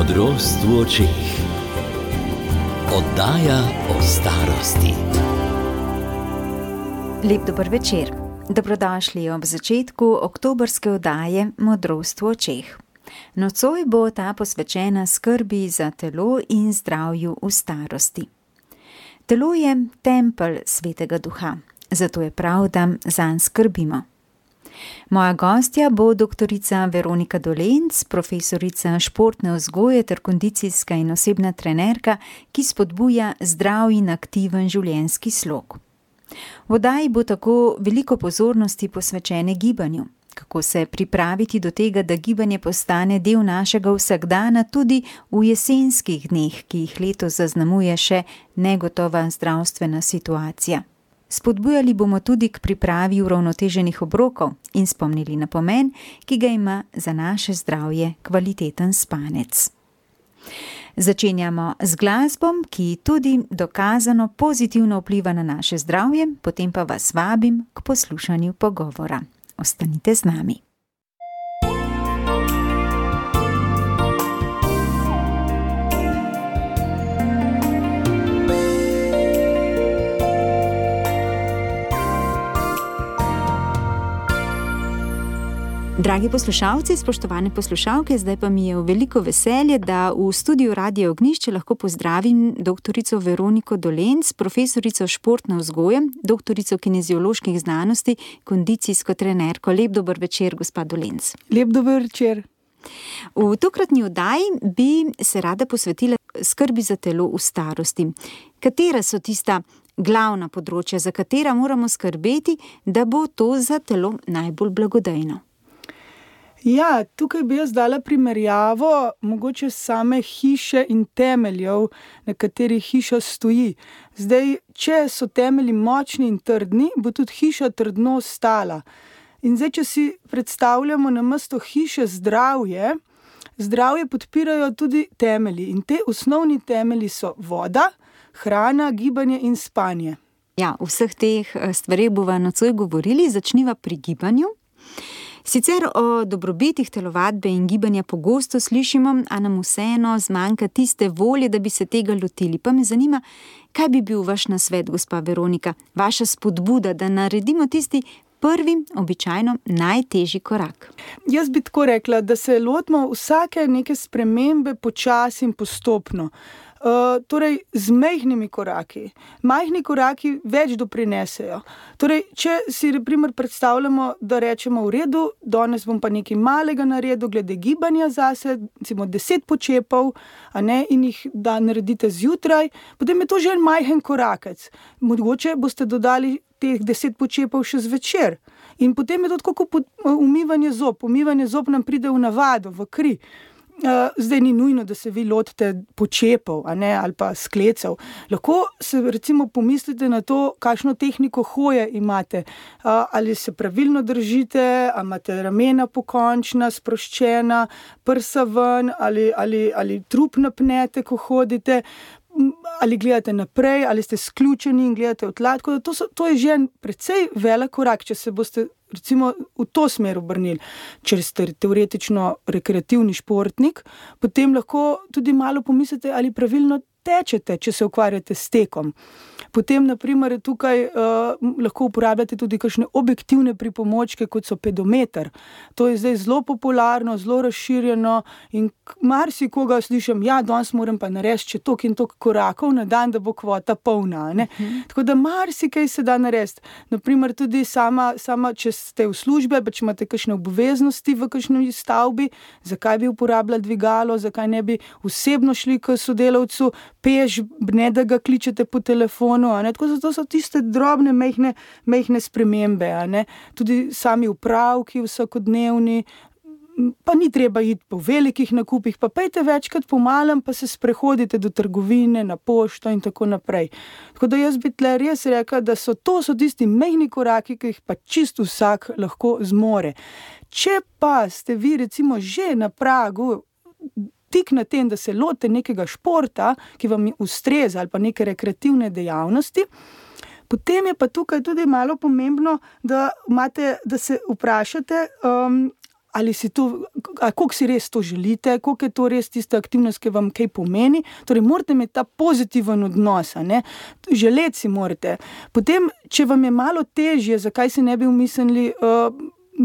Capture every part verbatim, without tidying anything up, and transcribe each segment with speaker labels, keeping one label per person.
Speaker 1: Modrost v očeh. Oddaja o starosti.
Speaker 2: Lep dober večer. Dobrodošli ob začetku oktobrske oddaje Modrost v očeh. Nocoj bo ta posvečena skrbi za telo in zdravju v starosti. Telo je tempelj Svetega Duha, zato je prav, da zanj skrbimo. Moja gostja bo doktorica Veronika Dolenc, profesorica športne vzgoje ter kondicijska in osebna trenerka, ki spodbuja zdrav in aktiven življenjski slog. V oddaji bo tako veliko pozornosti posvečene gibanju, kako se pripraviti do tega, da gibanje postane del našega vsakdana tudi v jesenskih dneh, ki jih letos zaznamuje še negotova zdravstvena situacija. Spodbujali bomo tudi k pripravi uravnoteženih obrokov in spomnili na pomen, ki ga ima za naše zdravje kvaliteten spanec. Začenjamo z glasbom, ki tudi dokazano pozitivno vpliva na naše zdravje, potem pa vas vabim k poslušanju pogovora. Ostanite z nami. Dragi poslušalci, spoštovane poslušalke, zdaj pa mi je v veliko veselje, da v studiu Radia Ognjišče lahko pozdravim doktorico Veroniko Dolenc, profesorico športne vzgoje, doktorico kinezioloških znanosti, kondicijsko trenerko. Lep dober večer, gospa Dolenc.
Speaker 3: Lep dober večer.
Speaker 2: V tokratni oddaji bi se rada posvetila skrbi za telo v starosti. Katera so tista glavna področja, za katera moramo skrbeti, da bo to za telo najbolj blagodejno?
Speaker 3: Ja, tukaj bi jaz dala primerjavo mogoče same hiše in temeljev, na katerih hiša stoji. Zdaj, če so temelji močni in trdni, bo tudi hiša trdno stala. In zdaj, če si predstavljamo namesto hiše zdravje, zdravje podpirajo tudi temelji. In te osnovni temelji so voda, hrana, gibanje in spanje.
Speaker 2: Ja, o vseh teh stvareh bova nocoj govorili, začniva pri gibanju. Sicer o dobrobitih telovadbe in gibanja pogosto slišimo, a nam vseeno zmanjka tiste volje, da bi se tega lotili. Pa me zanima, kaj bi bil vaš nasvet, gospa Veronika, vaša spodbuda, da naredimo tisti prvi, običajno najtežji korak?
Speaker 3: Jaz bi tako rekla, da se lotimo vsake neke spremembe počasi in postopno. Uh, torej, z majhnimi koraki. Majhni koraki več doprinesejo. Torej, če si primer predstavljamo, da rečemo v redu, danes bom pa nekaj malega naredil glede gibanja zase, recimo deset počepov, a ne, in jih da naredite zjutraj, potem je to že en majhen korakec. Mogoče boste dodali teh deset počepov še zvečer. In potem je to tako kot umivanje zob. Umivanje zob nam pride v navado, v kri. Zdaj ni nujno, da se vi lotite počepov, a ne, ali pa sklecev. Lahko se recimo pomislite na to, kakšno tehniko hoje imate. Ali se pravilno držite, ali imate ramena pokončna, sproščena, prsa ven, ali, ali, ali trup napnete, ko hodite, ali gledate naprej, ali ste sključeni in gledate v tla. Tako da to, so, to je že en precej velik korak, če se boste recimo v to smer obrnili. Če ste teoretično rekreativni športnik, potem lahko tudi malo pomislite, ali pravilno tečete, če se ukvarjate s tekom. Potem, na primer, tukaj uh, lahko uporabljate tudi kakšne objektivne pripomočke, kot so pedometer. To je zdaj zelo popularno, zelo razširjeno in marsikoga slišim, ja, danes moram pa narediti še toliko in toliko korakov na dan, da bo kvota polna. Ne? Uh-huh. Tako da marsikaj se da narediti. Na primer, tudi sama, sama, če ste v službi, pa če imate kakšne obveznosti v kakšni stavbi, zakaj bi uporabljali dvigalo, zakaj ne bi osebno šli k sodelavcu, peš, ne da ga kličete po telefonu, a ne? Tako zato so tiste drobne, mehne, mehne spremembe, a ne? Tudi sami upravki vsakodnevni, pa ni treba iti po velikih nakupih, pa pejte večkrat po malem, pa se sprehodite do trgovine, na pošto in tako naprej. Tako da jaz bi tle res rekla, da so to so tisti mehni koraki, ki jih pa čisto vsak lahko zmore. Če pa ste vi recimo že na pragu tik na tem, da se lotite nekega športa, ki vam ustreza, ali pa neke rekreativne dejavnosti, potem je pa tukaj tudi malo pomembno, da, imate, da se vprašate, um, ali si to, koliko si res to želite, koliko je to res tista aktivnost, ki vam kaj pomeni. Torej, morate imeti ta pozitiven odnos, ne? Želeti si morate. Potem, če vam je malo težje, zakaj si ne bi umislili uh,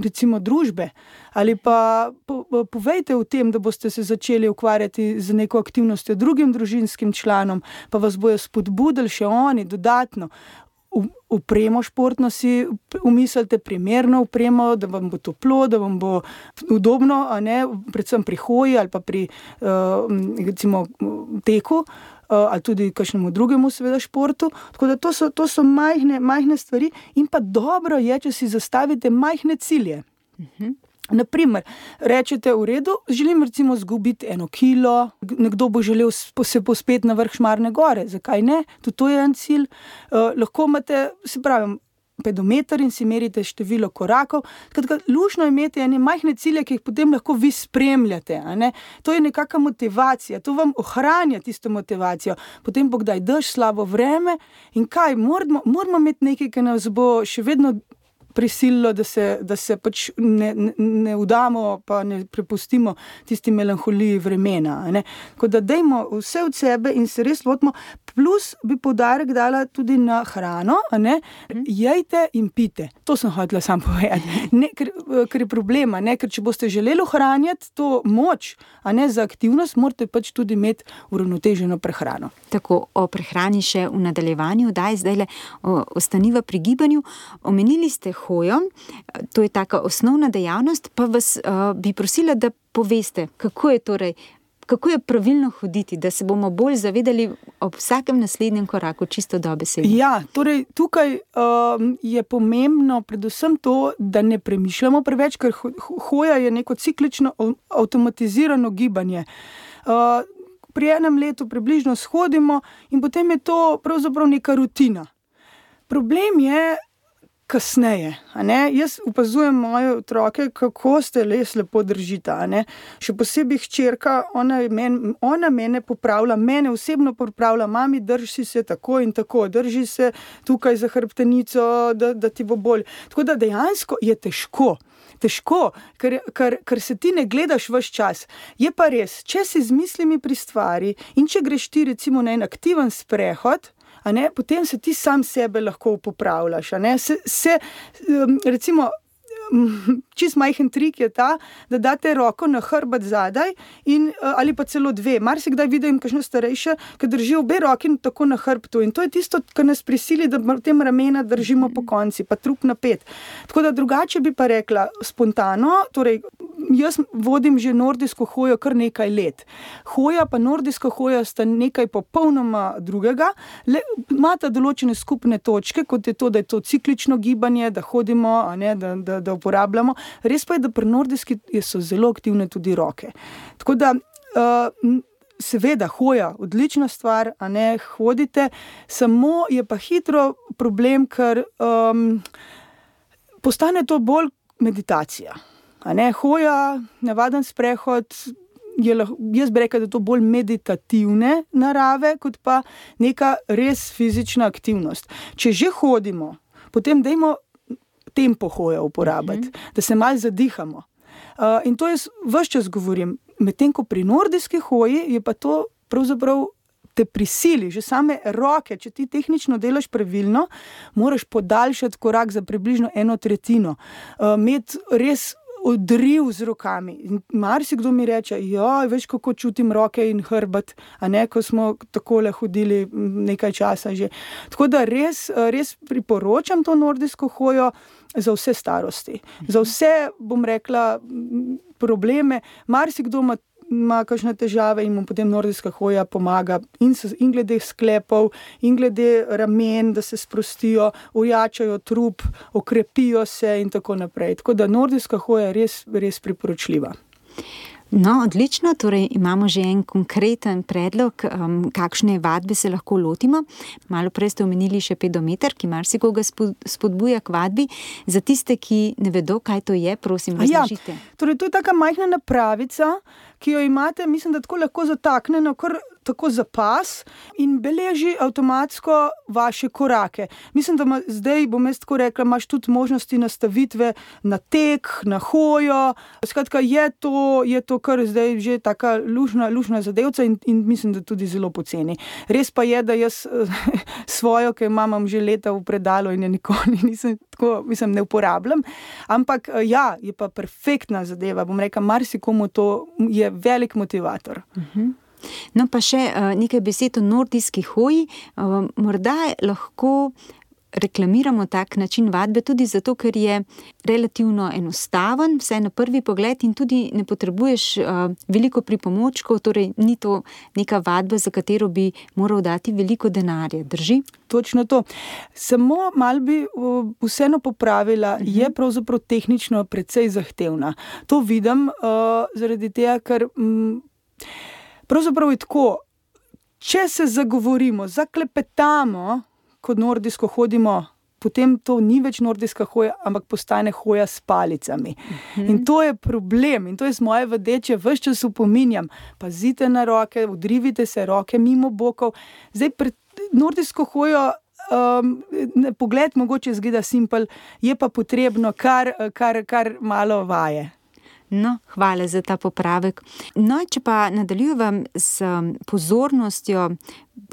Speaker 3: recimo družbe, ali pa po, povejte o tem, da boste se začeli ukvarjati z neko aktivnostjo drugim družinskim članom, pa vas bojo spodbudili še oni dodatno. Upremo športno si umislite, primerno upremo, da vam bo toplo, da vam bo udobno, a ne, predvsem pri hoji ali pa pri uh, recimo teku, uh, ali tudi kakšnemu drugemu seveda športu. Tako da to so, to so majhne, majhne stvari in pa dobro je, če si zastavite majhne cilje. Uh-huh. Naprimer, rečete v redu, želim recimo zgubiti eno kilo, nekdo bo želel se pospeti na vrh Šmarne gore, zakaj ne? Tudi to je en cilj. Uh, lahko imate, se pravim, pedometer in si merite število korakov. Skratka, luštno je imeti ene majhne cilje, ki jih potem lahko vi spremljate. A ne? To je nekakva motivacija, to vam ohranja tisto motivacijo. Potem bo kdaj dež, slabo vreme in kaj, moramo, moramo imeti nekaj, ki nas bo še vedno prisililo, da se, da se pač ne, ne, ne vdamo, pa ne prepustimo tisti melanholiji vremena. Ne? Tako da dajmo vse od sebe in se res lotimo. Plus bi poudarek dala tudi na hrano, a ne? Jejte in pite. To sem hotela sam povedati. Ne, ker, ker je problema, ne? Ker če boste želeli ohranjati to moč, a ne za aktivnost, morate pač tudi imeti uravnoteženo prehrano.
Speaker 2: Tako, o prehrani še v nadaljevanju, daj zdaj le ostaniva pri gibanju. Omenili ste hojo, to je taka osnovna dejavnost, pa vas uh, bi prosila, da poveste, kako je torej, kako je pravilno hoditi, da se bomo bolj zavedali ob vsakem naslednjem koraku, čisto dobesedno.
Speaker 3: Ja, torej tukaj um, je pomembno predvsem to, da ne premišljamo preveč, ker hoja je neko ciklično avtomatizirano gibanje. Uh, pri enem letu približno shodimo in potem je to pravzaprav neka rutina. Problem je kasneje, a ne? Jaz opazujem moje otroke, kako ste les lepo držita, a ne? Še posebej hčerka, ona, men, ona mene popravlja, mene osebno popravlja, mami, drži se tako in tako, drži se tukaj za hrbtenico, da, da ti bo bolj. Tako da dejansko je težko. Težko, ker, ker, ker se ti ne gledaš ves čas. Je pa res, če si z mislimi pri stvari in če greš ti recimo na en aktiven sprehod, a ne, potem se ti sam sebe lahko popravljaš. A ne? Se, se, recimo, čist majhen trik je ta, da date roko na hrbet zadaj in, ali pa celo dve. Marsikdaj vidim kakšno starejše, ki drži obe roki tako na hrbtu in to je tisto, kar nas prisili, da tem ramena držimo po konci, pa trup napet. Tako da drugače bi pa rekla spontano, torej jaz vodim že nordijsko hojo kar nekaj let. Hoja pa nordijska hoja sta nekaj popolnoma drugega, le imata določene skupne točke, kot je to, da je to ciklično gibanje, da hodimo, a ne, da, da, da uporabljamo. Res pa je, da pri nordijski so zelo aktivne tudi roke. Tako da, uh, seveda, hoja, odlična stvar, a ne, hodite, samo je pa hitro problem, ker um, postane to bolj meditacija. A ne, hoja, navaden sprehod, je, jaz bi rekla, da je to bolj meditativne narave, kot pa neka res fizična aktivnost. Če že hodimo, potem dajmo tempo hoja uporabiti, uh-huh. da se malo zadihamo. Uh, in to jaz ves čas govorim. Medtem ko pri nordijski hoji je pa to pravzaprav te prisili, že same roke, če ti tehnično delaš pravilno, moraš podaljšati korak za približno eno tretjino. Uh, imeti res odriv z rokami. Marsikdo mi reče, joj, veš, kako čutim roke in hrbet, a ne, ko smo takole hodili nekaj časa že. Tako da res, res priporočam to nordijsko hojo za vse starosti. Za vse, bom rekla, probleme. Marsikdo ima ima kakšne težave in mu potem nordijska hoja pomaga in, se, in glede sklepov, in glede ramen, da se sprostijo, ojačajo trup, okrepijo se in tako naprej. Tako da nordijska hoja je res, res priporočljiva.
Speaker 2: No, odlično, torej imamo že en konkreten predlog, um, kakšne vadbe se lahko lotimo. Malo prej ste omenili še pedometer, ki marsikoga spodbuja k vadbi. Za tiste, ki ne vedo, kaj to je, prosim, razložite.
Speaker 3: Ja, torej to je taka majhna napravica, ki jo imate, mislim, da tako lahko zataknjeno, kar tako za pas in beleži avtomatsko vaše korake. Mislim, da ma, zdaj bom jaz tako rekla, imaš tudi možnosti nastavitve na tek, na hojo. Skratka, je to, je to kar zdaj že taka lušna, lušna zadevca in, in mislim, da tudi zelo poceni. Res pa je, da jaz svojo, ki jo imam že leta v predalu in je nikoli nisem tako, mislim, ne uporabljam, ampak ja, je pa perfektna zadeva, bom rekla, marsikomu to je velik motivator.
Speaker 2: Uh-huh. No, pa še uh, nekaj besed o nordijski hoji. Uh, morda lahko reklamiramo tak način vadbe tudi zato, ker je relativno enostaven, vsaj na prvi pogled in tudi ne potrebuješ uh, veliko pripomočkov, torej ni to neka vadba, za katero bi moral dati veliko denarja, drži?
Speaker 3: Točno to. Samo malo bi uh, vseeno popravila, uh-huh. je pravzaprav tehnično precej zahtevna. To vidim uh, zaradi tega, ker um, pravzaprav je tako, če se zagovorimo, zaklepetamo, kot nordijsko hodimo, potem to ni več nordijska hoja, ampak postane hoja s palicami. Uh-huh. In to je problem. In to je z moje vedeče, ves čas upominjam. Pazite na roke, udrivite se roke mimo bokov. Zdaj, pred nordijsko hojo um, pogled mogoče zgleda simpel, je pa potrebno kar, kar, kar malo vaje.
Speaker 2: No, hvala za ta popravek. No, če pa nadaljujem s pozornostjo,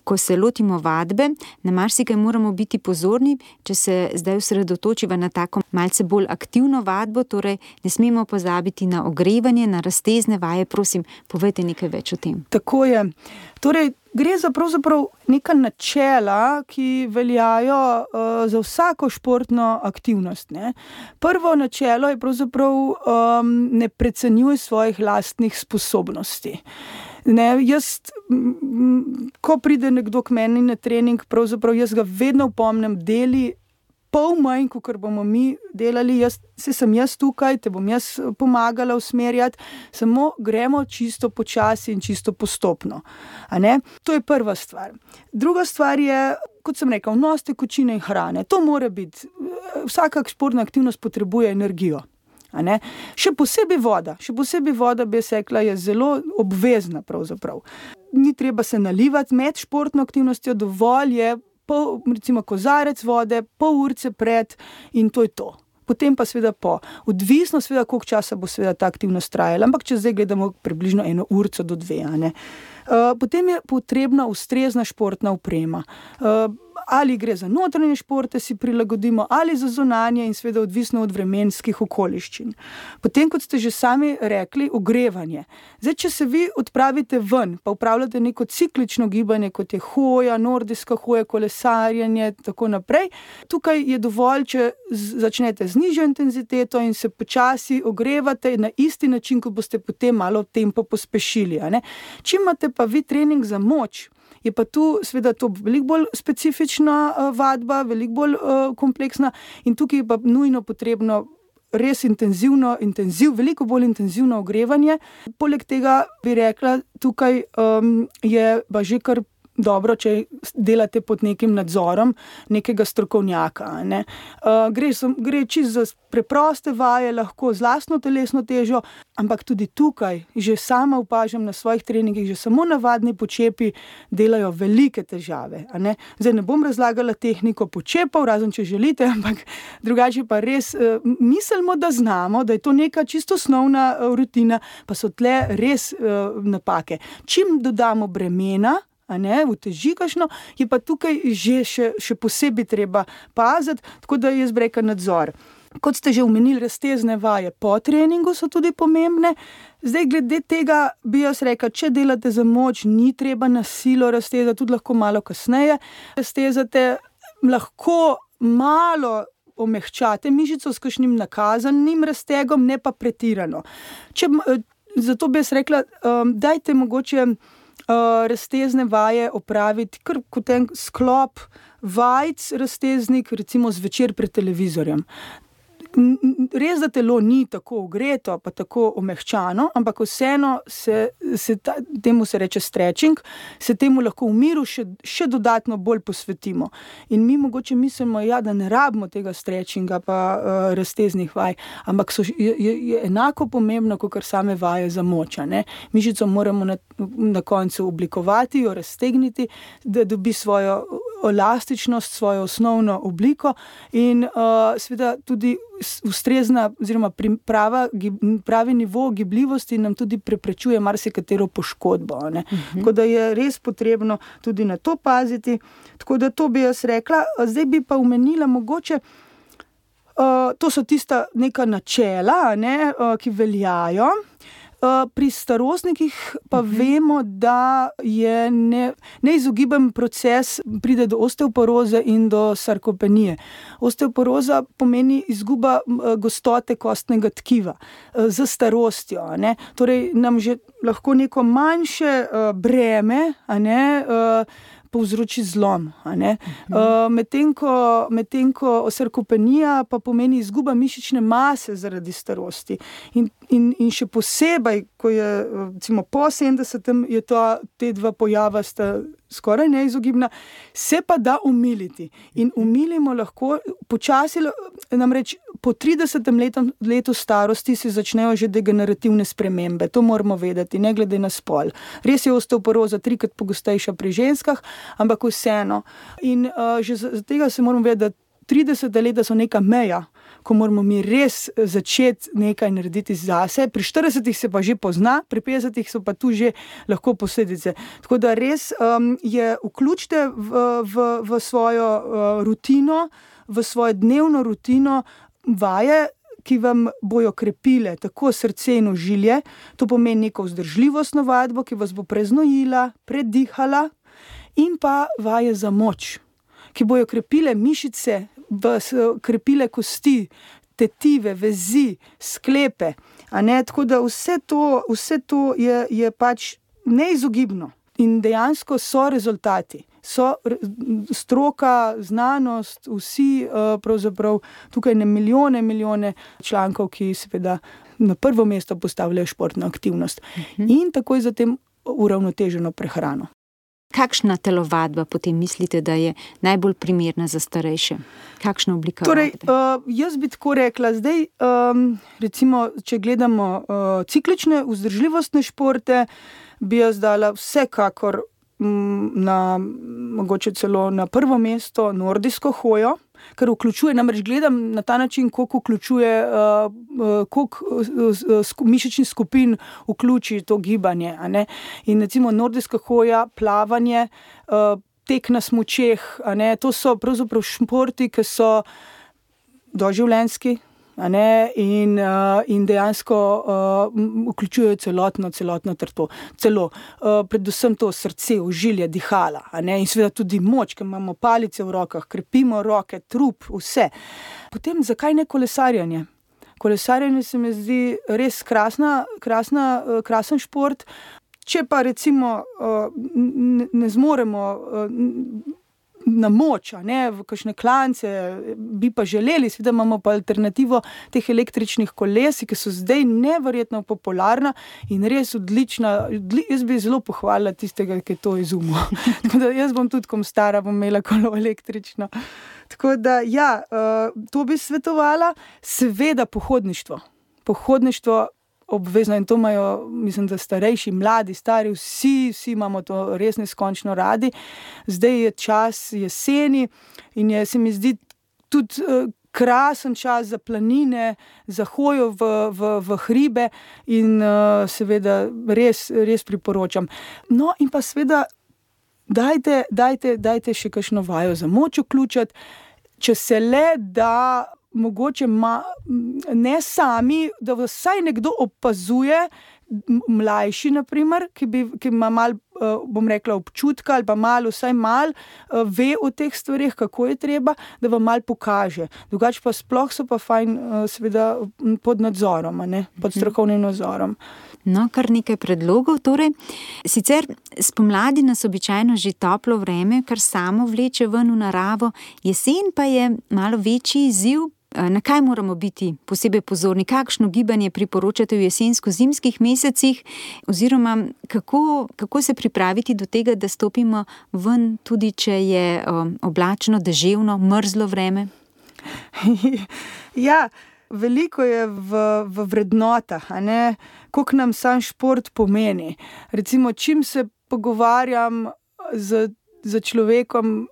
Speaker 2: ko se lotimo vadbe, na marsikaj moramo biti pozorni, če se zdaj osredotočiva na tako malce bolj aktivno vadbo, torej ne smemo pozabiti na ogrevanje, na raztezne vaje. Prosim, povejte nekaj več o tem.
Speaker 3: Tako je. Torej, gre za pravzaprav neka načela, ki veljajo uh, za vsako športno aktivnost. Ne? Prvo načelo je pravzaprav um, ne precenjuj svojih lastnih sposobnosti. Ne, jaz, m, ko pride nekdo k meni na trening, pravzaprav jaz ga vedno opomnim, deli pol manj, kot bomo mi delali, jaz, se sem jaz tukaj, te bom jaz pomagala usmerjati, samo gremo čisto počasi in čisto postopno. A ne? To je prva stvar. Druga stvar je, kot sem rekel, vnos tekočine in hrane. To mora biti, vsaka športna aktivnost potrebuje energijo. A ne? Še posebej voda, še posebej voda, bi jaz rekla, je zelo obvezna pravzaprav. Ni treba se nalivati med športno aktivnostjo, dovolj je pol, recimo kozarec vode, pol urce pred in to je to. Potem pa seveda po. Odvisno seveda, koliko časa bo seveda ta aktivnost trajala, ampak če zdaj gledamo približno eno urco do dve. A ne? Uh, potem je potrebna ustrezna športna oprema. Uh, ali gre za notranje športe, si prilagodimo, ali za zunanje in seveda odvisno od vremenskih okoliščin. Potem, kot ste že sami rekli, ogrevanje. Zdaj, če se vi odpravite ven, pa upravljate neko ciklično gibanje, kot je hoja, nordijska hoja, kolesarjenje, tako naprej, tukaj je dovolj, če z- začnete z nižjo intenziteto in se počasi ogrevate na isti način, ko boste potem malo tempo pospešili. A ne? Čim imate pa vi trening za moč, je pa tu seveda to veliko bolj specifična uh, vadba, veliko bolj uh, kompleksna in tukaj je pa nujno potrebno res intenzivno, intenziv, veliko bolj intenzivno ogrevanje. Poleg tega bi rekla, tukaj um, je pa že kar dobro, če delate pod nekim nadzorom nekega strokovnjaka. Ne? Uh, gre, gre čisto za preproste vaje, lahko z lastno telesno težo, ampak tudi tukaj, že sama opažam na svojih treningih, že samo navadni počepi delajo velike težave. A ne? Zdaj ne bom razlagala tehniko počepov, razen če želite, ampak drugače pa res uh, mislimo, da znamo, da je to neka čisto osnovna uh, rutina, pa so tle res uh, napake. Čim dodamo bremena, a ne, uteži kakšno, je pa tukaj že še, še posebej treba paziti, tako da jaz bi rekla nadzor. Kot ste že omenili, raztezne vaje po treningu so tudi pomembne. Zdaj, glede tega bi jaz rekla, če delate za moč, ni treba na silo raztezati, tudi lahko malo kasneje raztezate, lahko malo omehčate mišico s kakšnim nakazanim raztegom, ne pa pretirano. Če, zato bi jaz rekla, um, dajte mogoče Uh, raztezne vaje opraviti kar kot en sklop vajc razteznik, recimo zvečer pred televizorjem. res, da telo ni tako ogreto, pa tako omehčano, ampak vseeno se, se ta, temu se reče stretching, se temu lahko v miru še, še dodatno bolj posvetimo. In mi mogoče mislimo, ja, da ne rabimo tega stretchinga pa uh, razteznih vaj, ampak so, je, je enako pomembno, kot same vaje za moč. Mišico moramo na, na koncu oblikovati, jo raztegniti, da dobi svojo elastičnost, svojo osnovno obliko in uh, seveda tudi ustrezna oziroma prava, pravi nivo gibljivosti nam tudi preprečuje marsikatero poškodbo. Ne? Uh-huh. Tako da je res potrebno tudi na to paziti. Tako da to bi jaz rekla. Zdaj bi pa omenila mogoče, uh, to so tista neka načela, ne, uh, ki veljajo. Pri starostnikih pa uh-huh. vemo, da je ne, neizogiben proces, pride do osteoporoze in do sarkopenije. Osteoporoza pomeni izguba gostote kostnega tkiva z starostjo. Ne? Torej nam že lahko neko manjše breme, a ne, povzroči zlom. Uh-huh. Uh, medtem ko, medtem ko sarkopenija pa pomeni izguba mišične mase zaradi starosti. In, in, in še posebej, ko je recimo po sedemdesetem, je to, te dva pojava sta skoraj neizogibna, se pa da umiliti. In umilimo lahko počasi, namreč po tridesetem letom, letu starosti se začnejo že degenerativne spremembe. To moramo vedeti, ne glede na spol. Res je osteoporoza trikrat pogostejša pri ženskah, ampak vseeno. In uh, že za tega se moramo vedeti, da trideseta leta so neka meja, ko moramo mi res začeti nekaj narediti zase. Pri štiridesetih se pa že pozna, pri petdesetih so pa tu že lahko posledice. Tako da res um, je vključite v, v, v svojo uh, rutino, v svojo dnevno rutino vaje, ki vam bojo krepile tako srce in ožilje. To pomeni neko vzdržljivostno vadbo, ki vas bo preznojila, predihala, in pa vaje za moč, ki bojo krepile mišice, vas krepile kosti, tetive, vezi, sklepe. A ne? Tako da vse to, vse to je, je pač neizogibno. In dejansko so rezultati. So stroka, znanost, vsi pravzaprav tukaj ne milijone, milijone člankov, ki seveda na prvo mesto postavljajo športno aktivnost. Uh-huh. In takoj zatem uravnoteženo prehrano.
Speaker 2: Kakšna telovadba potem mislite, da je najbolj primerna za starejše? Kakšna oblika
Speaker 3: torej,
Speaker 2: vadbe?
Speaker 3: Uh, jaz bi tako rekla, zdaj, um, recimo, če gledamo uh, ciklične, vzdržljivostne športe, bi jaz dala vsekakor um, na, mogoče celo na prvo mesto nordijsko hojo, ker vključuje, namreč gledam na ta način, koliko vključuje, uh, uh, koliko uh, uh, mišičnih skupin vključi to gibanje. A ne? In recimo nordijska hoja, plavanje, uh, tek na smučeh, a ne? To so pravzaprav športi, ki so doživljenjski, a ne? In, uh, in dejansko uh, vključujejo celotno, celotno trto. Celo, uh, predvsem to srce, ožilje, dihala, a ne? In seveda tudi moč, ker imamo palice v rokah, krepimo roke, trup, vse. Potem, zakaj ne kolesarjanje? Kolesarjanje se mi zdi res krasna, krasna, uh, krasen šport. Če pa recimo uh, ne, ne zmoremo uh, na moč, a ne, v kakšne klance, bi pa želeli, seveda imamo pa alternativo teh električnih koles, ki so zdaj neverjetno popularna in res odlična. Odli, jaz bi zelo pohvalila tistega, ki je to izumil. Tako da jaz bom tudi, kom stara, bom imela kolo električno. Tako da, ja, to bi svetovala. Seveda pohodništvo. Pohodništvo obvezno in to imajo, mislim, da starejši, mladi, stari, vsi, vsi imamo to res neskončno radi. Zdaj je čas jeseni in je, se mi zdi, tudi uh, krasen čas za planine, za hojo v, v, v hribe in uh, seveda res, res priporočam. No in pa seveda dajte, dajte, dajte še kakšno vajo za moč vključiti, če se le da mogoče ma, ne sami, da vsaj nekdo opazuje, mlajši naprimer, ki, bi, ki ima malo, bom rekla, občutka ali pa malo, vsaj malo ve o teh stvarih, kako je treba, da vam malo pokaže. Drugače pa sploh so pa fajn seveda pod nadzorom, a ne? Pod strokovnim nadzorom.
Speaker 2: No, kar nekaj predlogov. Torej, sicer spomladi nas običajno že toplo vreme, kar samo vleče ven v naravo, jesen pa je malo večji izziv, Na kaj moramo biti posebej pozorni? Kakšno gibanje priporočate v jesensko-zimskih mesecih? Oziroma, kako, kako se pripraviti do tega, da stopimo ven, tudi če je oblačno, deževno, mrzlo vreme?
Speaker 3: Ja, veliko je v, v vrednotah, a ne? Koliko nam sam šport pomeni. Recimo, čim se pogovarjam z, z človekom,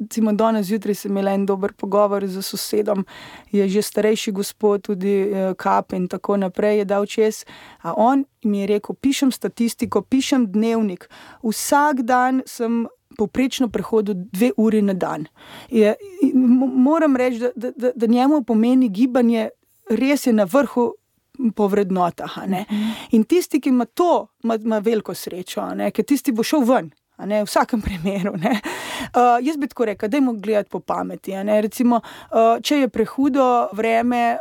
Speaker 3: recimo danes zjutraj sem imela en dober pogovor z sosedom, je že starejši gospod, tudi kap in tako naprej je dal čez, a on mi je rekel, pišem statistiko, pišem dnevnik, vsak dan sem povprečno prehodil dve uri na dan. Je, moram reči, da, da, da njemu pomeni gibanje, res je na vrhu po vrednotah, a ne. In tisti, ki ima to, ima, ima veliko srečo, a ne, ker tisti bo šel ven. Ne, v vsakem primeru. Ne. Uh, jaz bi tako rekel, dajmo gledati po pameti. Ne. Recimo, uh, če je prehudo vreme,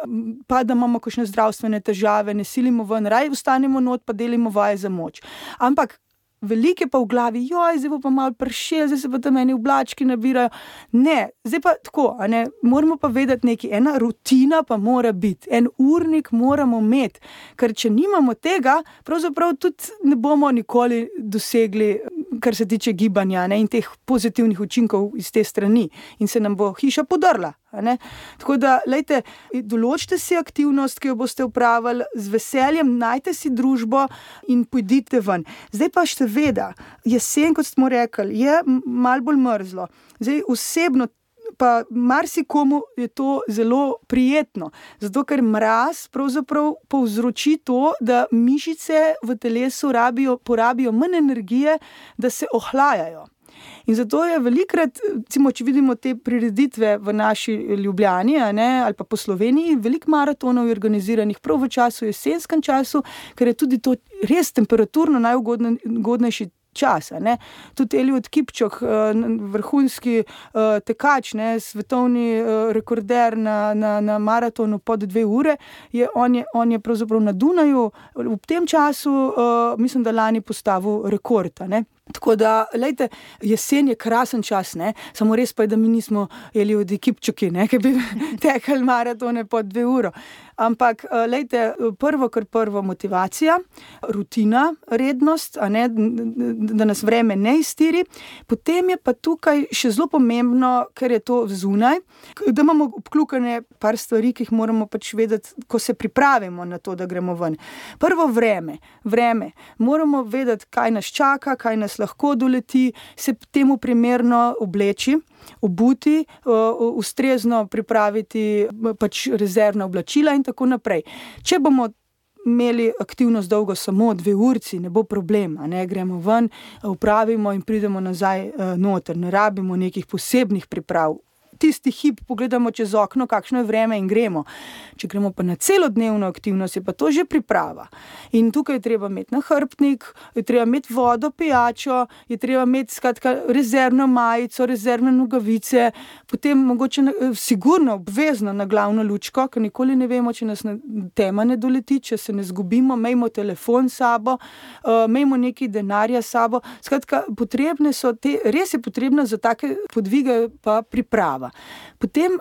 Speaker 3: pa da imamo kakšne zdravstvene težave, ne silimo ven, raj ostanemo not, pa delimo vaje za moč. Ampak veliko je pa v glavi, joj, zdaj bo pa malo pršelo, zdaj se pa tam eni oblački nabirajo. Ne, zdaj pa tako, a ne, moramo pa vedeti nekaj, ena rutina pa mora biti, en urnik moramo imeti, ker če nimamo tega, pravzaprav tudi ne bomo nikoli dosegli, kar se tiče gibanja, ne, in teh pozitivnih učinkov iz te strani in se nam bo hiša podrla. A ne? Tako da, lejte, določite si aktivnost, ki jo boste upravili, z veseljem najte si družbo in pojdite ven. Zdaj pa seveda, jesen, kot smo rekli, je malo bolj mrzlo. Zdaj osebno pa marsikomu je to zelo prijetno, zato ker mraz pravzaprav povzroči to, da mišice v telesu rabijo, porabijo manj energije, da se ohlajajo. In zato je velikrat, recimo, če vidimo te prireditve v naši Ljubljani, a ne, ali pa po Sloveniji, veliko maratonov je organiziranih prav v času, jesenskem času, ker je tudi to res temperaturno najugodnejši čas. A ne. Tudi Eliud Kipčok, vrhunski tekač, ne, svetovni rekorder na, na, na maratonu pod dve ure, je, on, je, on je pravzaprav na Dunaju v tem času, mislim, da lani postavil rekord. A ne. Tako da, lejte, jesen je krasen čas, ne, samo res pa je, da mi nismo Eliudi Kipčoki, ne, ki bi tekali maratone pod dve uro. Ampak, lejte, prvo kar prvo motivacija, rutina, rednost, a ne, da nas vreme ne iztiri. Potem je pa tukaj še zelo pomembno, ker je to zunaj, da imamo obkljukane par stvari, ki jih moramo pač vedeti, ko se pripravimo na to, da gremo ven. Prvo vreme, vreme. Moramo vedeti, kaj nas čaka, kaj nas lahko doleti, se temu primerno obleči, obuti, ustrezno pripraviti pač rezervna oblačila in tako naprej. Če bomo imeli aktivnost dolgo samo dve urci, ne bo problema, ne, gremo ven, upravimo in pridemo nazaj noter, ne rabimo nekih posebnih priprav. Tisti hip pogledamo čez okno, kakšno je vreme in gremo. Če gremo pa na celodnevno aktivnost, je pa to že priprava. In tukaj je treba imeti nahrbtnik, je treba imeti vodo, pijačo, je treba imeti skratka rezervno majico, rezervne nogavice, potem mogoče sigurno obvezno na glavno lučko, ker nikoli ne vemo, če nas tema ne doleti, če se ne zgubimo, imejmo telefon s sabo, imejmo nekaj denarja s sabo. Skratka, potrebne so te, res je potrebna za take podvige pa priprava. Potem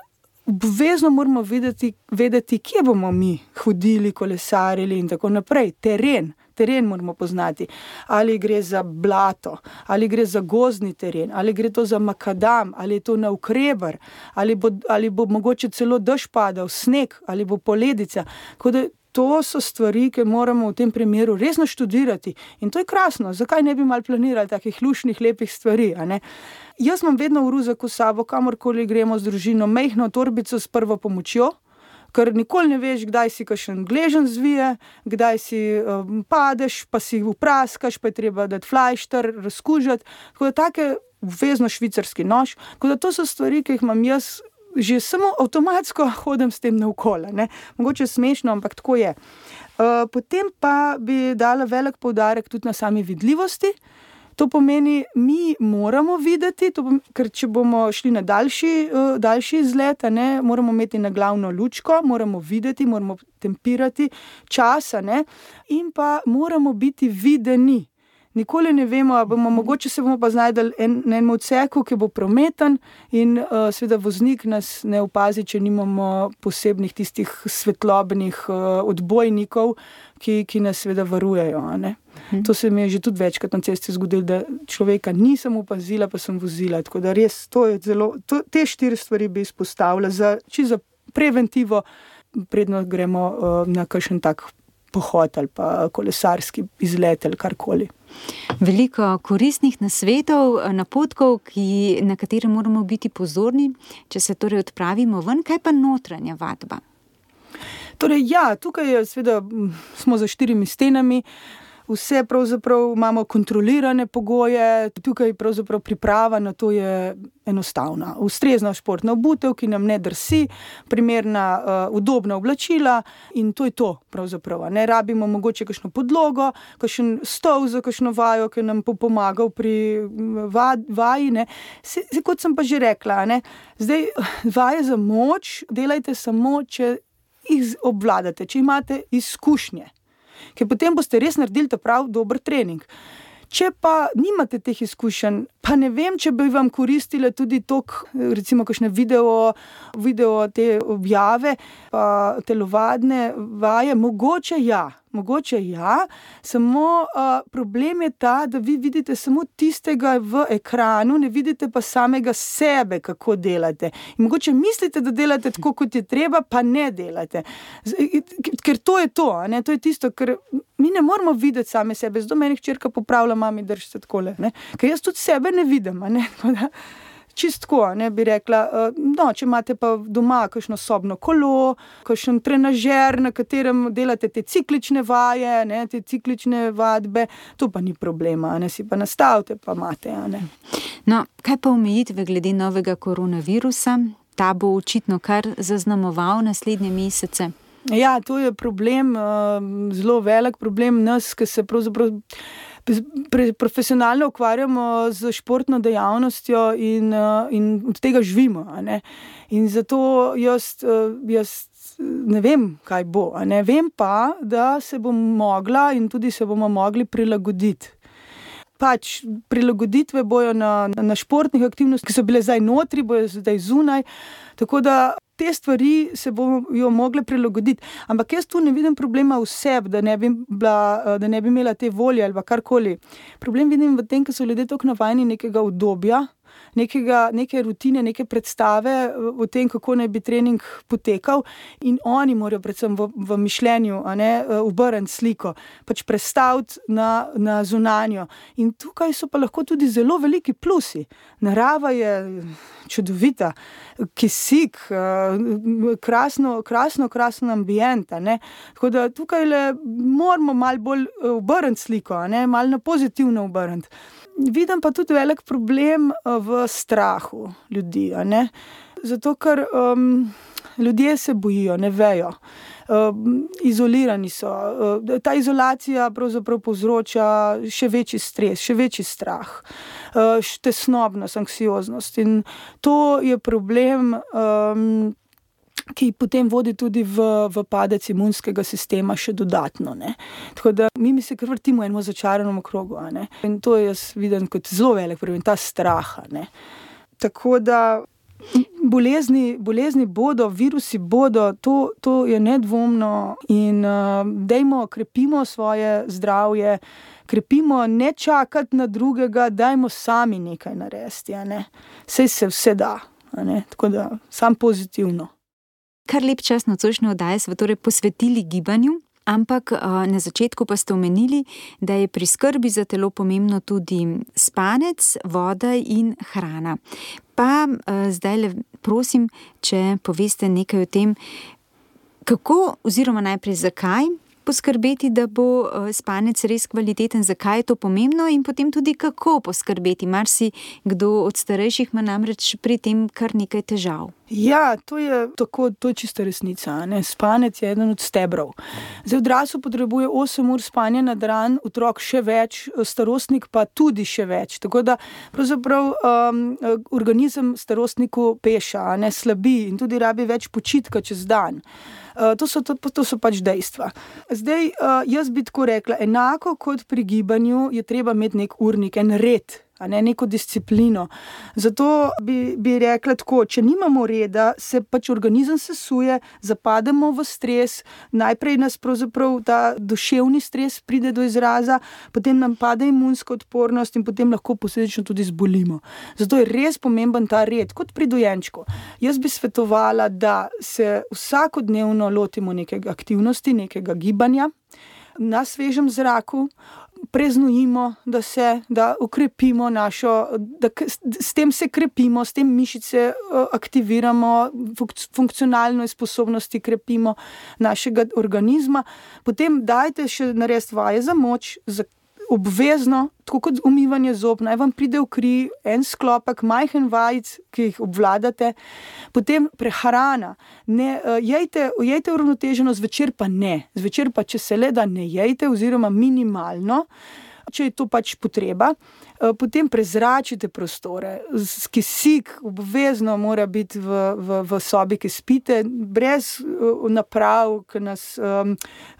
Speaker 3: obvezno moramo vedeti, vedeti, kje bomo mi hodili, kolesarili in tako naprej. Teren, teren moramo poznati. Ali gre za blato, ali gre za gozdni teren, ali gre to za makadam, ali je to navkreber, ali bo, ali bo mogoče celo dež padal, sneg, ali bo poledica. Tako da to so stvari, ki moramo v tem primeru resno študirati. In to je krasno. Zakaj ne bi malo planirali takih lušnih, lepih stvari, a ne? Jaz imam vedno v ruzaku s sabo, kamorkoli gremo z družino, majhno torbico s prvo pomočjo, ker nikoli ne veš, kdaj si kakšen gleženj zvije, kdaj si um, padeš, pa si upraskaš, pa je treba dati flajšter, razkužati. Tako da take obvezno švicarski nož. Tako da to so stvari, ki jih imam jaz, že samo avtomatsko hodim s tem naokoli, ne. Mogoče smešno, ampak tako je. Uh, potem pa bi dala velik poudarek tudi na sami vidljivosti. To pomeni, mi moramo videti, to pomeni, ker če bomo šli na daljši, uh, daljši izlet, ne, moramo imeti na glavno lučko, moramo videti, moramo tempirati časa, ne, in pa moramo biti videni. Nikoli ne vemo, a bomo, mogoče se bomo pa znajdeli en, na enem odseku, ki bo prometen in uh, seveda voznik nas ne opazi, če nimamo posebnih tistih svetlobnih uh, odbojnikov, ki, ki nas seveda varujejo. A ne? Hmm. To se mi je že tudi večkrat na cesti zgodilo, da človeka nisem opazila, pa sem vozila. Tako da res, to je zelo, to, te štiri stvari bi izpostavila za, čisto za preventivo, predno gremo uh, na kakšen tak pohod ali pa kolesarski izlet ali karkoli.
Speaker 2: Veliko koristnih nasvetov, napotkov, ki, na katere moramo biti pozorni, če se torej odpravimo ven. Kaj pa notranja vadba?
Speaker 3: Torej, ja, tukaj je, seveda, smo za štirimi stenami, vse pravzaprav imamo kontrolirane pogoje, tukaj pravzaprav priprava na to je enostavna. Ustrezna športna obutev, ki nam ne drsi, primerna, uh, udobna oblačila in to je to pravzaprav. Ne rabimo mogoče kakšno podlogo, kakšen stol za kakšno vajo, ki nam bo pomagal pri vaj, vaji. Ne. Se, se, kot sem pa že rekla, ne, zdaj vaje za moč delajte samo, če jih obvladate, če imate izkušnje. Ker potem boste res naredili ta prav dober trening. Če pa nimate teh izkušenj, pa ne vem, če bi vam koristile tudi tok, recimo kakšne video, video te objave, pa telovadne vaje, mogoče ja, mogoče ja, samo uh, problem je ta, da vi vidite samo tistega v ekranu, ne vidite pa samega sebe, kako delate. In mogoče mislite, da delate tako, kot je treba, pa ne delate. Ker to je to, ne? To je tisto, ker mi ne moramo videti same sebe. Zdaj meni hčerka popravlja, mami, drži se takole, ne? Ker jaz tudi sebe ne vidim, a ne? Čistko, ne, bi rekla, no, če imate pa doma kakšno sobno kolo, kakšen trenažer, na katerem delate te ciklične vaje, ne, te ciklične vadbe, to pa ni problema, ne, si pa nastavite, pa imate, a ne.
Speaker 2: No, kaj pa omejitve glede novega koronavirusa? Ta bo očitno kar zaznamoval naslednje mesece.
Speaker 3: Ja, to je problem, zelo velik problem nas, ki se pravzaprav profesionalno ukvarjamo z športno dejavnostjo in, in od tega živimo. A ne? In zato jaz, jaz ne vem, kaj bo. A ne? Vem pa, da se bom mogla in tudi se bomo mogli prilagoditi. Pač prilagoditve bojo na, na športnih aktivnostih, ki so bile zdaj notri, bojo zdaj zunaj. Tako da te stvari se bojo mogle prilagoditi. Ampak jaz tu ne vidim problema v sebi, da ne bi bila, da ne bi imela te volje ali karkoli. Problem vidim v tem, ker so ljudje toliko navajeni nekega udobja, nekega, neke rutine, neke predstave o tem, kako naj bi trening potekal in oni morajo predvsem v, v mišljenju, a ne, obrniti sliko, pač prestaviti na, na zunanjo. In tukaj so pa lahko tudi zelo veliki plusi. Narava je čudovita, kisik, krasno, krasno, krasno ambient, a ne. Tako da tukaj le moramo malo bolj obrniti sliko, a ne, malo na pozitivno obrniti. Vidim pa tudi velik problem v strahu ljudi, a ne? Zato, ker um, ljudje se bojijo, ne vejo. Um, izolirani so. Uh, ta izolacija pravzaprav povzroča še večji stres, še večji strah, uh, tesnobnost, anksioznost. In to je problem, um, ki potem vodi tudi v, v padec imunskega sistema še dodatno. Ne? Tako da mi, mi se kar vrtimo eno začaranom krogu. A ne? In to jaz vidim kot zelo velik problem, ta strah. Ne? Tako da bolezni, bolezni bodo, virusi bodo, to, to je nedvomno in uh, dajmo, krepimo svoje zdravje, krepimo, ne čakati na drugega, dajmo sami nekaj narediti. A ne? Saj se vse da. A ne? Tako da sam pozitivno.
Speaker 2: Kar lep čas nocojšnje oddaje smo torej posvetili gibanju, ampak na začetku pa ste omenili, da je pri skrbi za telo pomembno tudi spanec, voda in hrana. Pa zdaj le prosim, če poveste nekaj o tem, kako oziroma najprej zakaj poskrbeti, da bo spanec res kvaliteten, zakaj je to pomembno in potem tudi kako poskrbeti. Marsi kdo od starejših ima namreč pri tem kar nekaj težav.
Speaker 3: Ja, to je tako, to je čista resnica. Ne? Spanec je eden od stebrov. Zdaj, odrasel potrebuje osem ur spanja na dan, otrok še več, starostnik pa tudi še več. Tako da pravzaprav um, organizem starostniku peša, ne slabi in tudi rabi več počitka čez dan. Uh, to, so, to, to so pač dejstva. Zdaj, uh, jaz bi tako rekla, enako kot pri gibanju je treba imeti nek urnik, en red, a ne neko disciplino. Zato bi, bi rekla tako, če nimamo reda, se pač organizem sesuje, zapademo v stres, najprej nas pravzaprav ta duševni stres pride do izraza, potem nam pade imunska odpornost in potem lahko posledično tudi zbolimo. Zato je res pomemben ta red, kot pri dojenčku. Jaz bi svetovala, da se vsakodnevno lotimo nekega aktivnosti, nekega gibanja, na svežem zraku, preznojimo, da se, da ukrepimo našo, da s tem se krepimo, s tem mišice aktiviramo, funkcionalno sposobnosti krepimo našega organizma. Potem dajte še narediti vaje za moč, za obvezno, tako kot umivanje zob, naj vam pride v kri en sklopek majhen vajic, ki jih obvladate. Potem prehrana. Ne, jejte, jejte uravnoteženo, zvečer pa ne. Zvečer pa, če se le da, ne jejte oziroma minimalno, če je to pač potreba. Potem prezračite prostore. Kisik obvezno mora biti v, v, v sobi, ki spite, brez naprav, ki nas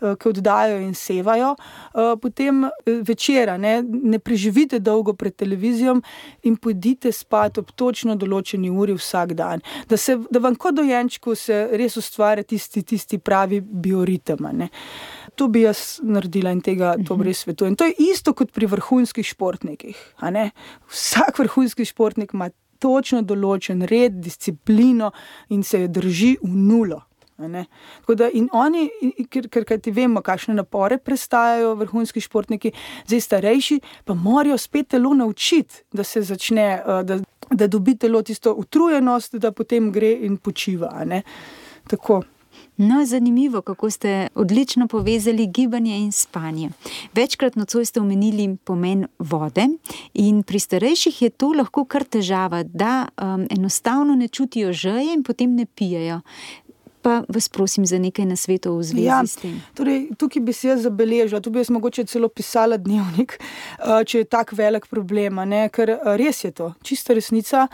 Speaker 3: ki oddajo in sevajo. Potem večera, ne, ne preživite dolgo pred televizijom in pojdite spat ob točno določeni uri vsak dan. Da, se, da vam kot dojenčku se res ustvarja tisti, tisti pravi bioritem. Ne. To bi jaz naredila in tega to res svetujem. To je isto kot pri vrhunskih športnikih. A ne? Vsak vrhunski športnik ima točno določen red, disciplino in se jo drži v nulo. A ne? Tako da in oni, ker, ker, ker ti vemo, kakšne napore prestajajo vrhunski športniki, zdaj starejši, pa morajo spet telo naučiti, da se začne, da, da dobi telo tisto utrujenost, da potem gre in počiva. A ne? Tako.
Speaker 2: No, zanimivo, kako ste odlično povezali gibanje in spanje. Večkrat nocoj ste omenili pomen vode in pri starejših je to lahko kar težava, da um, enostavno ne čutijo žeje in potem ne pijejo. Pa vas prosim za nekaj nasvetov v zvezi
Speaker 3: ja,
Speaker 2: s tem.
Speaker 3: Torej, tukaj bi se jaz zabeležila, tu bi jaz mogoče celo pisala dnevnik, če je tak velik problem, ne? Ker res je to, čista resnica,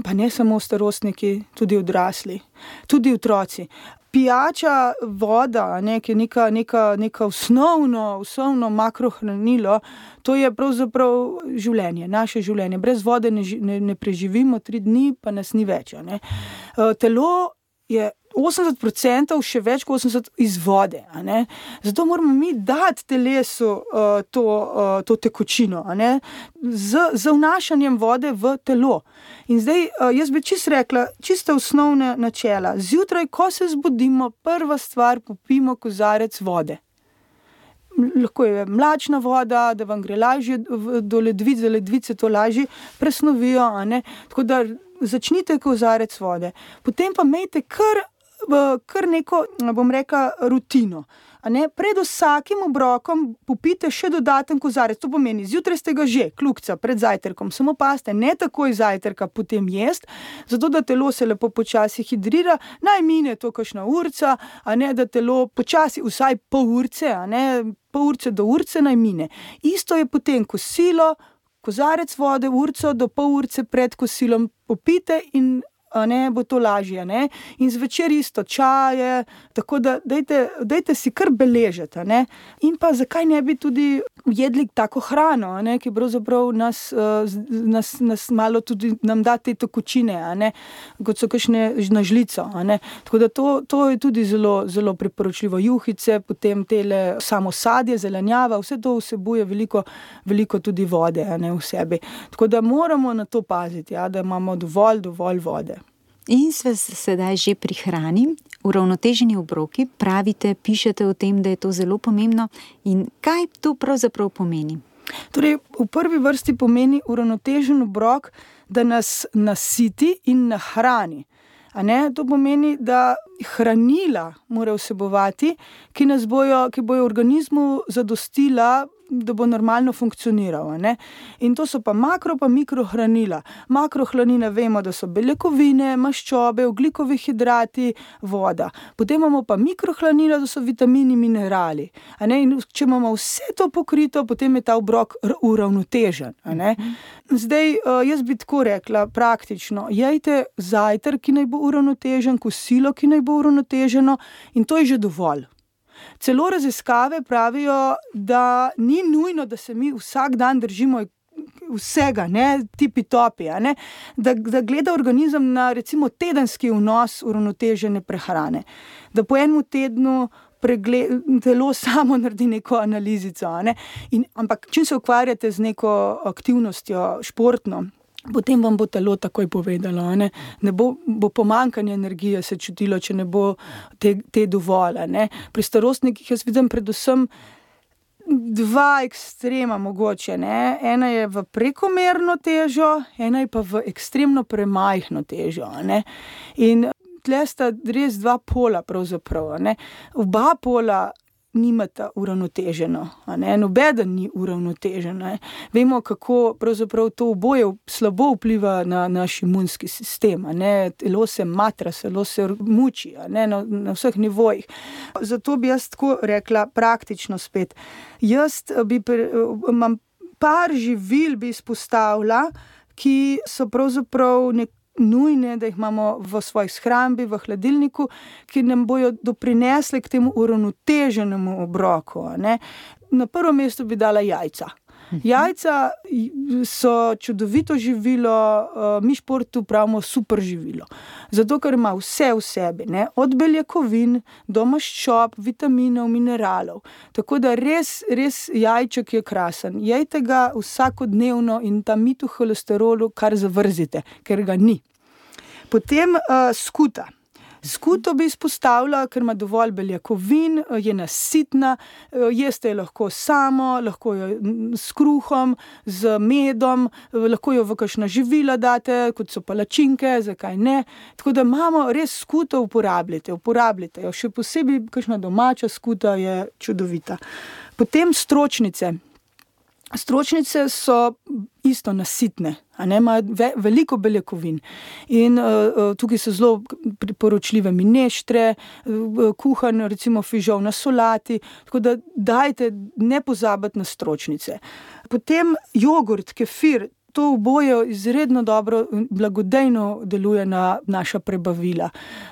Speaker 3: pa ne samo starostniki, tudi odrasli, tudi otroci. Pijača voda, ne, ki je neka, neka, neka osnovno, osnovno makrohranilo, to je pravzaprav življenje, naše življenje. Brez vode ne, ne, ne preživimo tri dni, pa nas ni več. Ne. Telo je osemdeset procentov, še več kot osemdeset procentov iz vode. A ne? Zato moramo mi dati telesu uh, to, uh, to tekočino, a ne? Z, z vnašanjem vode v telo. In zdaj, uh, jaz bi čisto rekla, čisto osnovne načela. Zjutraj, ko se zbudimo, prva stvar, popijmo kozarec vode. Lahko je mlačna voda, da vam gre lažje do ledvic, za ledvice to lažje presnovijo, a ne? Tako da začnite kozarec vode. Potem pa imejte kar kar neko, bom rekla, rutino. A ne? Pred vsakim obrokom popijte še dodaten kozarec. To pomeni, zjutraj ste ga že, kljukca, pred zajtrkom. Samo pazite, ne takoj zajtrka potem jest, zato da telo se lepo počasi hidrira, naj mine to kakšna urca, a ne, da telo počasi, vsaj pol urce, a ne, pol urce do urce naj mine. Isto je potem kosilo, kozarec vode, urco do pol urce pred kosilom popijte in a ne, bo to lažje, ne, in zvečer isto čaje, tako da dajte, dajte si kar beležiti, a ne, in pa zakaj ne bi tudi jedli tako hrano, a ne, ki pravzaprav nas, nas, nas malo tudi nam da te tekočine, a ne, kot so kakšne na žlico, a ne, tako da to, to je tudi zelo, zelo priporočljivo. Juhice, potem tele samo sadje, zelenjava, vse to vsebuje veliko, veliko tudi vode, a ne, v sebi. Tako da moramo na to paziti, ja, da imamo dovolj, dovolj vode.
Speaker 2: In sve sedaj že pri hrani, uravnoteženi obroki, pravite, pišete o tem, da je to zelo pomembno. In kaj to pravzaprav pomeni?
Speaker 3: Torej, v prvi vrsti pomeni uravnotežen obrok, da nas nasiti in nahrani. A ne? To pomeni, da hranila mora vsebovati, ki nas bojo, ki bojo organizmu zadostila da bo normalno funkcioniral. Ne? In to so pa makro pa mikrohranila. Makrohranila vemo, da so beljakovine, maščobe, ogljikovi hidrati, voda. Potem imamo pa mikrohranila, da so vitamini, minerali. A ne? In če imamo vse to pokrito, potem je ta obrok uravnotežen. A ne? Zdaj, jaz bi tako rekla, praktično, jejte zajtrk, ki naj bo uravnotežen, kosilo, ki naj bo uravnoteženo, in to je že dovolj. Celo raziskave pravijo, da ni nujno, da se mi vsak dan držimo vsega, ne, tipi topi, a ne, da, da gleda organizem na recimo tedenski vnos uravnotežene prehrane, da po enem tednu pregled, telo samo naredi neko analizico, a ne, in, ampak čim se ukvarjate z neko aktivnostjo športno, potem vam bo telo takoj povedalo, ne, ne bo, bo pomanjkanje energije se čutilo, če ne bo te, te dovolj, ne. Pri starostnikih jaz vidim predvsem dva ekstrema mogoče, ne. Ena je v prekomerno težo, ena je pa v ekstremno premajhno težo, ne. In tle sta res dva pola pravzaprav, ne. Oba pola nimata uravnoteženo, a ne, nobeden ni uravnotežen, ne. Vemo, kako pravzaprav to oboje slabo vpliva na naš imunski sistem, a ne, telo se matra, telo se muči, a ne, na, na vseh nivojih. Zato bi jaz tako rekla praktično spet. Jaz bi, imam par živil bi izpostavila, ki so pravzaprav nek nujne, da jih imamo v svoji shrambi, v hladilniku, ki nam bojo doprinesli k temu uravnoteženemu obroku, ne. Na prvo mesto bi dala jajca. Jajca so čudovito živilo, mi športu pravimo super živilo. Zato, ker ima vse v sebi, ne, od beljakovin do maščob, vitaminov, mineralov. Tako da res, res jajček je krasen. Jejte ga vsakodnevno in ta mit v holesterolu kar zavrzite, ker ga ni. Potem uh, skuta. Skuto bi izpostavila, ker ima dovolj beljakovin, je nasitna, jeste jo lahko samo, lahko jo s kruhom, z medom, lahko jo v kakšna živila date, kot so palačinke, zakaj ne. Tako da imamo res skuto, uporabljate, uporabljate jo. Še posebej kakšna domača skuta je čudovita. Potem stročnice. Stročnice so isto nasitne, a ne, imajo ve, veliko beljakovin in uh, tukaj so zelo priporočljive mineštre, uh, kuhan recimo fižol na solati, tako da dajte ne pozabiti na stročnice. Potem jogurt, kefir, to oboje izredno dobro, blagodejno deluje na naša prebavila.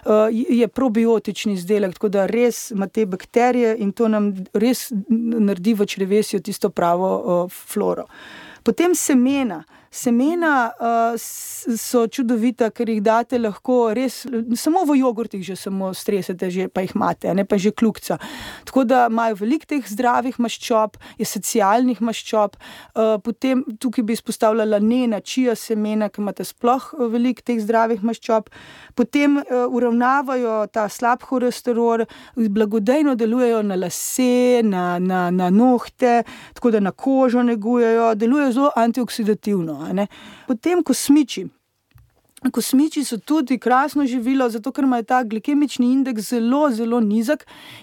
Speaker 3: Uh, je probiotični izdelek, tako da res ima te bakterije in to nam res naredi v črevesju tisto pravo uh, floro. Potem semena. Semena uh, so čudovita, ker jih date lahko res, samo v jogurtih že samo stresete, že, pa jih imate, ne pa že kljukca. Tako da imajo veliko teh zdravih maščob, esencialnih maščob, uh, potem tukaj bi izpostavljala lanena, čija semena, ki imate sploh veliko teh zdravih maščob. Potem uh, uravnavajo ta slab holesterol, blagodejno delujejo na lase, na, na, na nohte, tako da na kožo negujejo, delujejo zelo antioksidativno. Ne. Potem kosmiči. Kosmiči so tudi krasno živilo, zato ker imajo ta glikemični indeks zelo, zelo nizek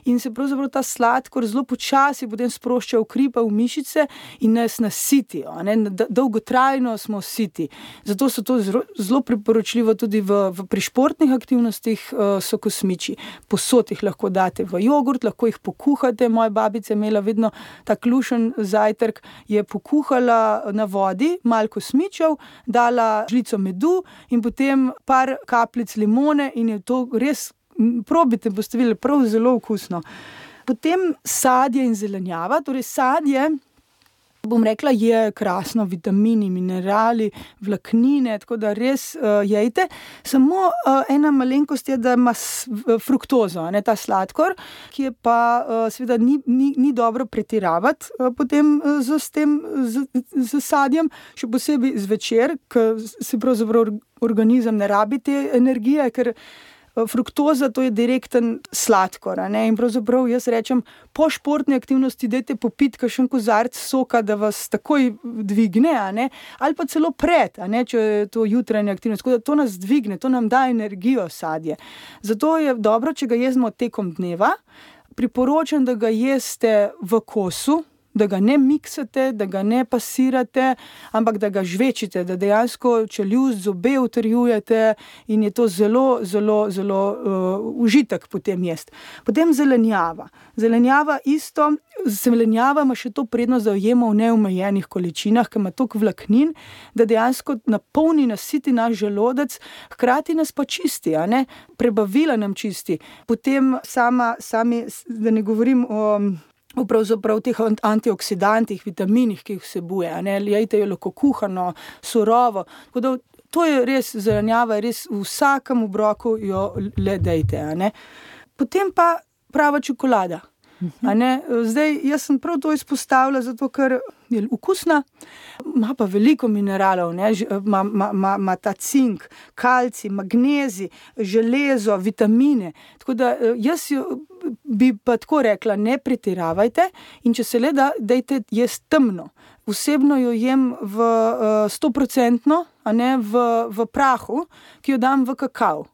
Speaker 3: in se pravzaprav ta sladkor zelo počasi potem sprošča v kri pa v mišice in nas nasitijo, ne, dolgotrajno smo siti. Zato so to zelo, zelo priporočljivo tudi v, v pri športnih aktivnostih uh, so kosmiči. Posod jih lahko date v jogurt, lahko jih pokuhate. Moja babica je imela vedno tak lušen zajtrk, je pokuhala na vodi malo kosmičev, dala žlico medu in potem par kapljic limone in je to res, probite, boste videli, prav zelo okusno. Potem sadje in zelenjava, torej sadje, bom rekla, je krasno, vitamini, minerali, vlaknine, tako da res uh, jejte. Samo uh, ena malenkost je, da ima fruktozo, ne, ta sladkor, ki je pa uh, seveda ni, ni, ni dobro pretiravati uh, potem uh, z, s tem, z, z sadjem, še posebej zvečer, ker se pravzaprav organizem ne rabi te energije, ker fruktoza to je direkten sladkor, ne? In pravzaprav jaz rečem, po športni aktivnosti dajte popiti kakšen kozarec soka, da vas takoj dvigne, a ne? Ali pa celo pred, a ne? Če je to jutranja aktivnost, tako da to nas dvigne, to nam da energijo sadje. Zato je dobro, če ga jezmo tekom dneva. Priporočam, da ga jeste v kosu, da ga ne miksate, da ga ne pasirate, ampak da ga žvečite, da dejansko čeljust, zobe utrjujete in je to zelo, zelo, zelo uh, užitek potem jesti. Potem zelenjava. Zelenjava isto, zelenjava ima še to prednost, da jo jemo v neomejenih količinah, ker ima toliko vlaknin, da dejansko napolni, nasiti naš želodec, hkrati nas pa čisti, a ne? Prebavila nam čisti. Potem sama, sami, da ne govorim o pravzaprav teh antioksidantih, vitaminih, ki jih vsebuje, a ne? Jejte jo lahko kuhano, surovo, tako da to je res zelenjava, res v vsakem obroku jo le dejte, a ne? Potem pa prava čokolada. A ne? Zdaj, jaz sem prav to izpostavila, zato ker je okusna, ima pa veliko mineralov, ne? Ma, ma, ma, ma ta cink, kalcij, magnezij, železo, vitamine. Tako da jaz jo bi pa tako rekla, ne pretiravajte in če se le da, dejte jesti temno. Osebno jo jem v stoprocentno, a ne v, v prahu, ki jo dam v kakav.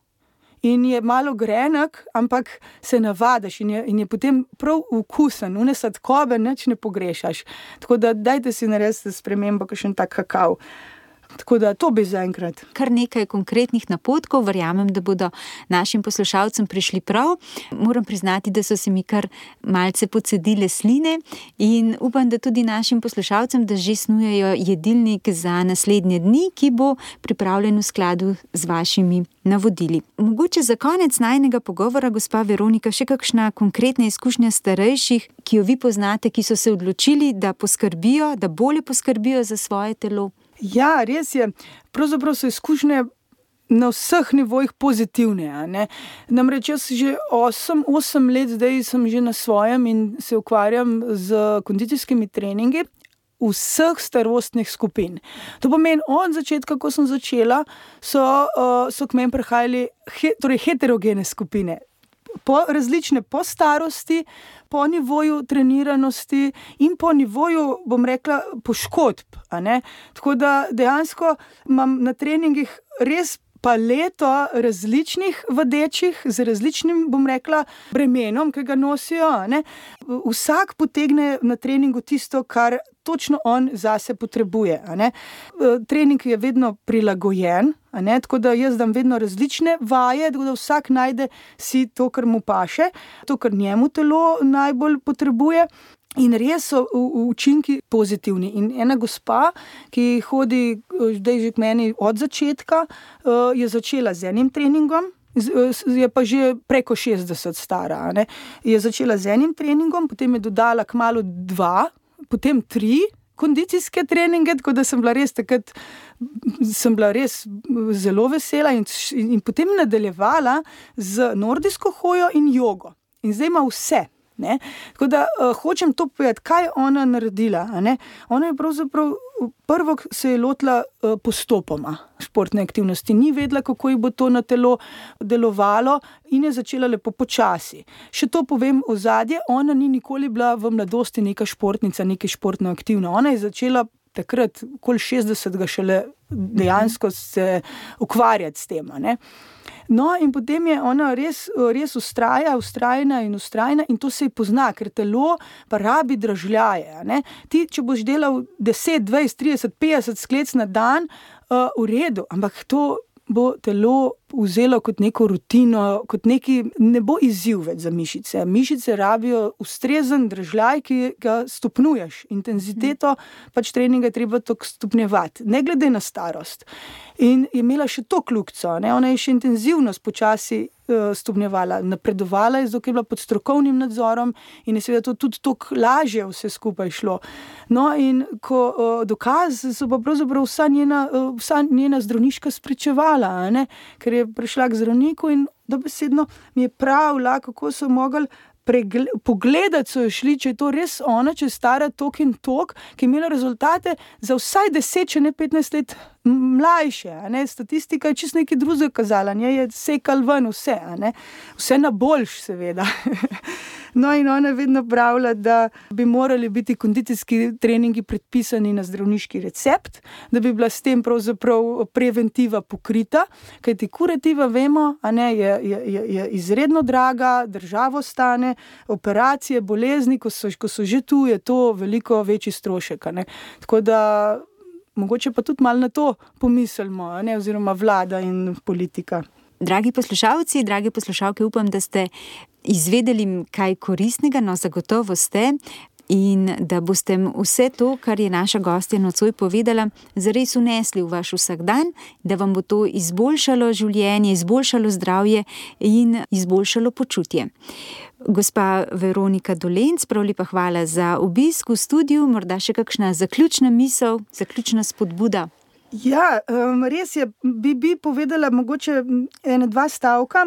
Speaker 3: In je malo grenek, ampak se navadiš in je, in je potem prav okusen, une sladkobe nič ne pogrešaš. Tako da dajte si narediti spremembo, kakšen tak kakav. Tako da to bi zaenkrat.
Speaker 2: Kar nekaj konkretnih napotkov, verjamem, da bodo našim poslušalcem prišli prav. Moram priznati, da so se mi kar malce pocedile sline in upam, da tudi našim poslušalcem, da že snujejo jedilnik za naslednje dni, ki bo pripravljen v skladu z vašimi navodili. Mogoče za konec najnega pogovora, gospa Veronika, še kakšna konkretna izkušnja starejših, ki jo vi poznate, ki so se odločili, da poskrbijo, da bolje poskrbijo za svoje telo?
Speaker 3: Ja, res je. Pravzaprav so izkušnje na vseh nivojih pozitivne, a ne. Namreč jaz že osem, osem let zdaj sem že na svojem in se ukvarjam z kondicijskimi treningi vseh starostnih skupin. To pomeni, od začetka, ko sem začela, so, so k meni prihajali he, torej heterogene skupine. Po različne, po starosti, po nivoju treniranosti in po nivoju, bom rekla, poškodb, a ne. Tako da dejansko imam na treningih res paleto različnih vadečih z različnim, bom rekla, bremenom, ki ga nosijo, a ne. Vsak potegne na treningu tisto, kar točno on zase potrebuje, a ne. Trening je vedno prilagojen, a ne, tako da jaz dam vedno različne vaje, tako da vsak najde si to, kar mu paše, to, kar njemu telo najbolj potrebuje. In res so učinki pozitivni. In ena gospa, ki hodi zdaj že k meni od začetka, je začela z enim treningom, je pa že preko šestdeset stara, a ne. Je začela z enim treningom, potem je dodala kmalu dva, potem tri kondicijske treninge, tako da sem bila res takrat, sem bila res zelo vesela in, in potem nadaljevala z nordijsko hojo in jogo. In zdaj ima vse. Ne? Tako da uh, hočem to povedati, kaj je ona naredila. A ne? Ona je pravzaprav prvo se je lotila uh, postopoma športne aktivnosti, ni vedela, kako ji bo to na telo delovalo in je začela lepo počasi. Še to povem ozadje, ona ni nikoli bila v mladosti neka športnica, neka športno aktivna. Ona je začela takrat, okoli šestdesetega šele dejansko se ukvarjati s tem. A ne? No, in potem je ona res, res ustraja, ustrajna in ustrajna in to se ji pozna, ker telo pa rabi dražljaje. Ne? Ti, če boš delal deset, dvajset, trideset, petdeset sklec na dan, uh, v redu, ampak to bo telo vzelo kot neko rutino, kot neki, ne bo izziv več za mišice. Mišice rabijo ustrezen dražljaj, ki ga stopnjuješ. Intenziteto pač treninga je treba to stopnjevati, ne glede na starost. In je imela še to kljukico, ne? Ona je še intenzivnost počasi uh, stopnjevala, napredovala je, zato je bila pod strokovnim nadzorom in je seveda to tudi toliko lažje vse skupaj šlo. No in ko uh, dokaz so pa pravzaprav vsa njena, uh, vsa njena zdravniška spričevala, a ne? Ker je prišla k zdravniku in dobesedno mi je pravila, kako so mogli Pregle, pogledati so jo šli, če je to res ona, če je stara tok in tok, ki je imela rezultate za vsaj deset, če ne petnajst let mlajše, a ne, statistika je čisto nekaj drugega kazala, nje je sekal ven vse, a ne, vse na boljš seveda. No in ona vedno pravila, da bi morali biti kondicijski treningi predpisani na zdravniški recept, da bi bila s tem pravzaprav preventiva pokrita, kajti kurativa, vemo, a ne, je, je, je izredno draga, državo stane, operacije, bolezni, ko so, ko so že tu, je to veliko večji strošek, a ne. Tako da mogoče pa tudi malo na to pomislimo, a ne, oziroma vlada in politika.
Speaker 2: Dragi poslušalci, dragi poslušalke, upam, da ste izvedeli kaj koristnega, no zagotovo ste, in da boste vse to, kar je naša gostja nocoj povedala, zares unesli v vaš vsakdan, da vam bo to izboljšalo življenje, izboljšalo zdravje in izboljšalo počutje. Gospa Veronika Dolenc, prav lepa hvala za obisk v studiu, morda še kakšna zaključna misel, zaključna spodbuda.
Speaker 3: Ja, res je, bi, bi povedala mogoče ene dva stavka.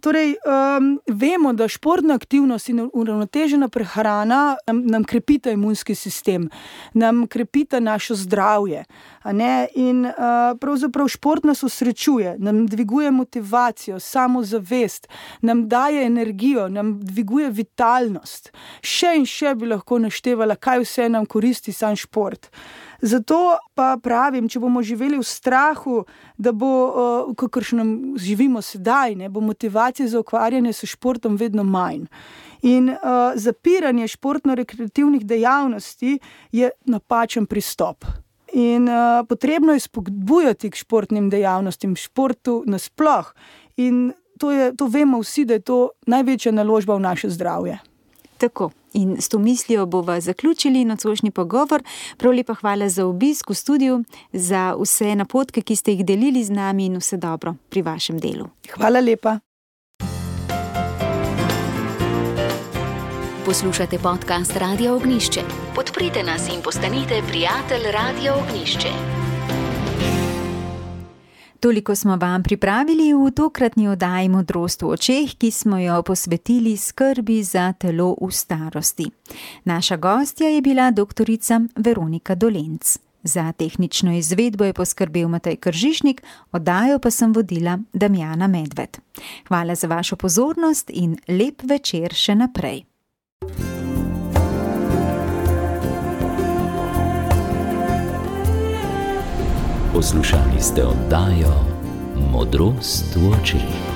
Speaker 3: Torej, um, vemo, da športna aktivnost in uravnotežena prehrana nam, nam krepita imunski sistem, nam krepita naše zdravje, a ne? In uh, pravzaprav šport nas osrečuje, nam dviguje motivacijo, samozavest, nam daje energijo, nam dviguje vitalnost. Še in še bi lahko naštevala, kaj vse nam koristi sam šport. Zato pa pravim, če bomo živeli v strahu, da bo, uh, kakršnem živimo sedaj, ne, bo motivacija za ukvarjanje s športom vedno manj. In uh, zapiranje športno-rekreativnih dejavnosti je napačen pristop. In uh, potrebno je spodbujati k športnim dejavnostim, športu nasploh. In to, je, to vemo vsi, da je to največja naložba v naše zdravje.
Speaker 2: Tako. In s to mislijo bova zaključili nocojšnji pogovor. Prav lepa hvala za obisk v studiu, za vse napotke, ki ste jih delili z nami, in vse dobro pri vašem delu.
Speaker 3: Hvala lepa.
Speaker 1: Poslušate podcast Radia Ognjišče. Podprite nas in postanite prijatelj Radia Ognjišče.
Speaker 2: Toliko smo vam pripravili v tokratni oddaji Modrost v očeh, ki smo jo posvetili skrbi za telo v starosti. Naša gostja je bila doktorica Veronika Dolenc. Za tehnično izvedbo je poskrbel Matej Kržišnik, oddajo pa sem vodila Damjana Medved. Hvala za vašo pozornost in lep večer še naprej.
Speaker 1: Poslušali ste oddajo Modrost v očeh.